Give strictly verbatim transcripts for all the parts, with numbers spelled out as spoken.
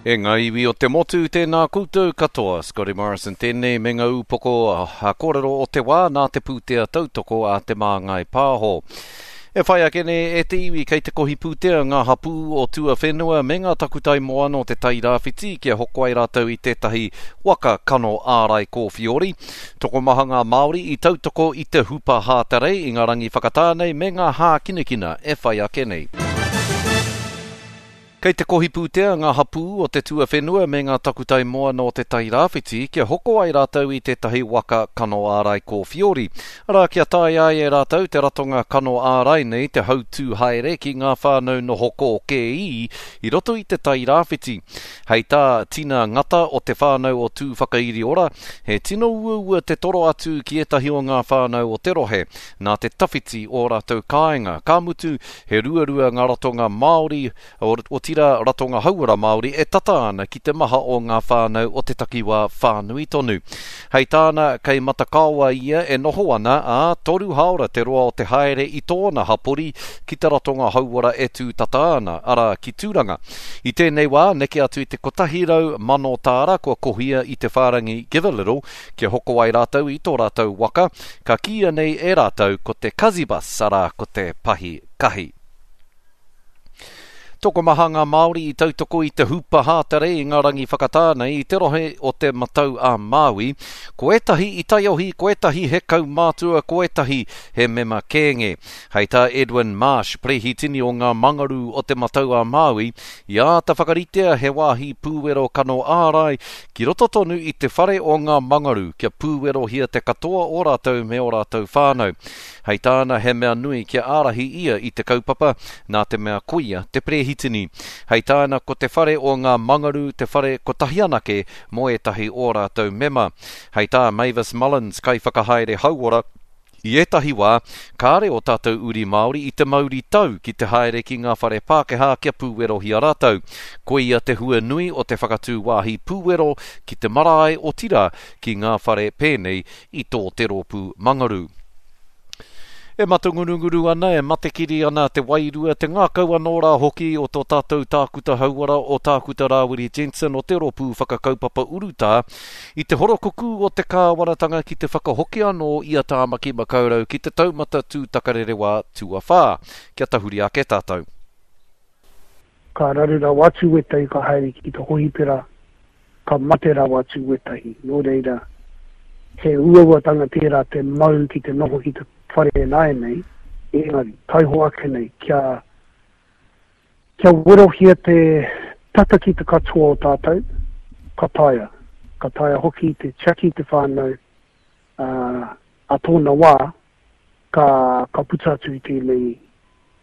E ngā iwi o te motu, tēnā koutou katoa. Scotty Morrison tēnei me ngā upoko a kōrero o te wā nā te pūtea tautoko a Te Māngai Pāho. E whai ake nei e te iwi kei te kohi pūtea ngā hapū o tuawhenua me ngā takutai moana o te Tairāwhiti kia hoko ai rātou i tētahi waka kano ārai kōwhiori. Tokomaha ngā Māori i tautoko i te hupa hātarei i ngā rangi whakatā nei me ngā hākinakina e whai ake nei. Kei te kohi pūtea ngā hapū o te tuawhenua me ngā takutai moana o te Tairāwhiti kia hoko ai rātou i tētahi waka kano ārai kōwhiori. Arā, kia taea ai e rātou te ratonga kano ārai nei te hautū haere ki ngā whānau noho kōkēī i roto i te Tairāwhiti. Hei tā Tina Ngata o te whānau o Tūwhakairiora, he tino uaua te toro atu ki ētahi o ngā whānau o te rohe, nā te tawhiti o rātou kāinga. Ka mutu, he ruarua ngā ratonga Māori, otirā ratonga hauora Māori e tata ana ki te maha o ngā whānau o te takiwā whānui tonu. Hei tāna, kei Matakaoa ia e noho ana, ā, toru hāora te roa o te haere i tōna hapori ki te ratonga hauora e tū tata ana, arā, ki Tūranga. I tēnei wā, neke atu i te kotahi rau mano tāra kua kohia i te whārangi Give a Little kia hoko ai rātou i tō rātou waka, ka kīia nei e rātou ko te Kazibus, arā, ko te pahi kahi. Tokomaha ngā Māori i tautoko i te hupa hātare i ngā rangi whakatā nei i te rohe o te Matau a Māui. Ko ētahi i taiohi, ko ētahi he kaumātua, ko ētahi he mema kēnge. Hei tā Edwin Marsh, perehitini o ngā mangaru o te Matau a Māui, i āta whakaritea he wāhi pūwero kano ārai ki roto tonu i te whare o ngā mangaru kia pūwerohia te katoa o rātou me o rātou whānau. Hei tāna he mea nui kia ārahi ia i te kaupapa, nā te mea koia te perehitini. Hei tāna ko te whare o ngā mangaru te whare kotahi anake mō ētahi o rātou mema. Hei tā Mavis Mullins, kaiwhakahaere hauora, i ētahi wā, kāre o tātou uri Māori i te mauri tau ki te haere ki ngā whare Pākehā kia pūwerohia rātou. Koia te hua nui o te whakatū wāhi pūwero ki te marae otirā ki ngā whare pēnei i tō te rōpū mangaru. E matangurunguru ana, e matekiri ana te wairua, te ngākau anō rā hoki o tō tātou tākuta hauora o Tākuta Rāwiri Jensen o te rōpū whakakaupapa urutā i te horokukū o te kāwanatanga ki te whakahoki anō i a Tāmaki Makaurau ki te taumata tūtakarerewā tuawhā. Kia tahuri ake tātou. Ka raru rawa atu wētahi ka haere ki te hohipera, ka mate rawa atu wētahi. Nō reira, he uauatanga tērā te mau ki te noho ki te whare nāianei, engari, taiho ake nei, kia, kia werohia te tata ki te katoa o tātou, ka taea. Ka taea hoki te tiaki te whānau uh, a tōna wā, ka, ka puta atu i tēnei,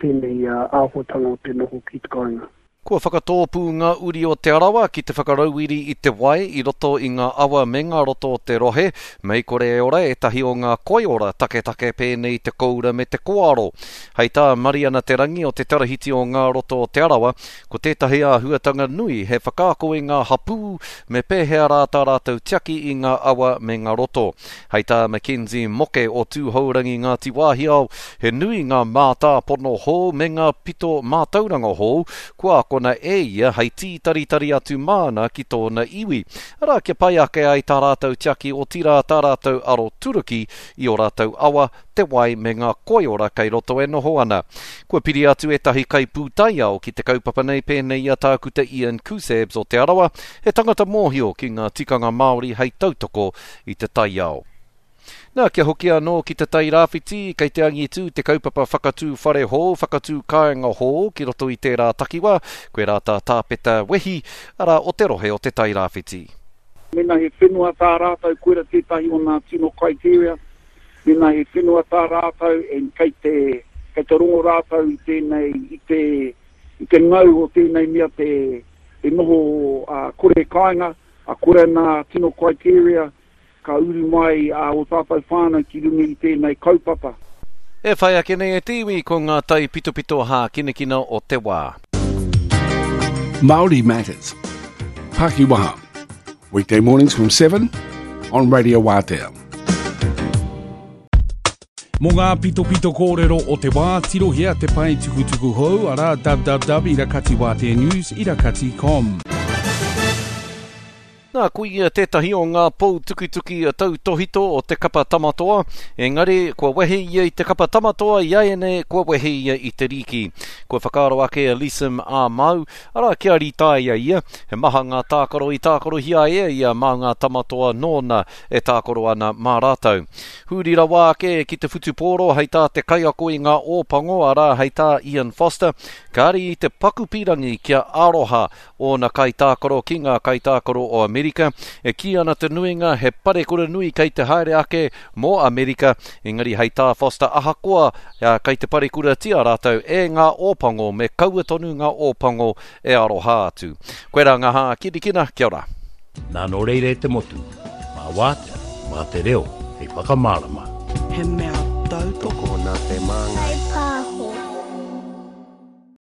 tēnei uh, āhuatanga o te noho ki te kāinga. Kua whakatōpū ngā uri o Te Arawa ki te whakarauiri i te wai i roto i ngā awa me ngā roto o te rohe, mei kore e ora ētahi o ngā koiora taketake pēnei te koura me te koaro. Hei tā Mariana Te Rangi o te Tarahiti o ngā roto o Te Arawa, ko tētahi āhuatanga nui he whakaako i ngā hapū me pēhea rā tā rātou tiaki i ngā awa me ngā roto. Hei tā Mackenzie Moke o Tūhourangi Ngāti Wāhiao, he nui ngā mātāpono hou me ngā pito mātauranga hou, kua akona e ia hei tītaritari atu māna ki tōna iwi. Arā, kia pai ake ai tā rātou tiaki otirā tā rātou aro turuki i o rātou awa, te wai me ngā koiora kei roto e noho ana. Kua piri atu ētahi kaipūtaiao ki te kaupapa nei pēnei i a Tākuta Ian Kusabs o Te Arawa, he tangata mōhio ki ngā tikanga Māori hei tautoko i te taiao. Nā, kia hoki anō ki te Tairāwhiti, kei te angitū te kaupapa whakatū whare hou, whakatū kāinga hou ki roto i tērā takiwā, koe rā tā Tāpeta Wehi, arā o te rohe o te Tairāwhiti. Mena he whenua tā rātou, koira tētahi o ngā tino criteria, mena he whenua tā rātou, and kei te, kei te rongo rātou i tēnei, i te, i te ngau o tēnei mea te, te noho uh, kore kāinga, a kore nā tino criteria, ka uru mai a o tātou whānau ki runga i tēnei kaupapa. E whai ake nei e te iwi ko ngā tai pitopito hākinakina o te wā. Māori Matters. Pakiwaha. Weekday mornings from seven on Radio Wātea. Mō ngā pitopito kōrero o te wā, tirohia te pae tukutuku hou, arā www irakatiwāteanews irakati com. Nā, ko ia tētahi o ngā pou tukituki tautohito o te kapa Tamatoa, engari kua wehe ia i te kapa Tamatoa i āianei kua wehe ia i te rīki. Kua whakaaro ake a Leeson Ā-Mau, arā kia rītaia ia, he maha ngā tākaro i tākarohia e ia mā ngā Tamatoa nōna e tākaro ana mā rātou. Huri rawa ake ki te whutupōro hei tā te kaiako i ngā Ōpango, arā hei tā Ian Foster, kāre i te paku pīrangi kia aroha ōna kaitākaro ki ngā kaitākaro o Amerika. E kī ana te nuinga he parekura nui kei te haere ake mō Amerika, engari hei tā Foster ahakoa kei te parekuratia rātou e ngā Ōpango me kaua tonu ngā Ōpango e aroha atu. Koirā ngā hākinakina, kia ora. Nā nō reira e te motu, mā wātea, mā te reo, hei whakamārama. He mea tautoko Tokona te māngai.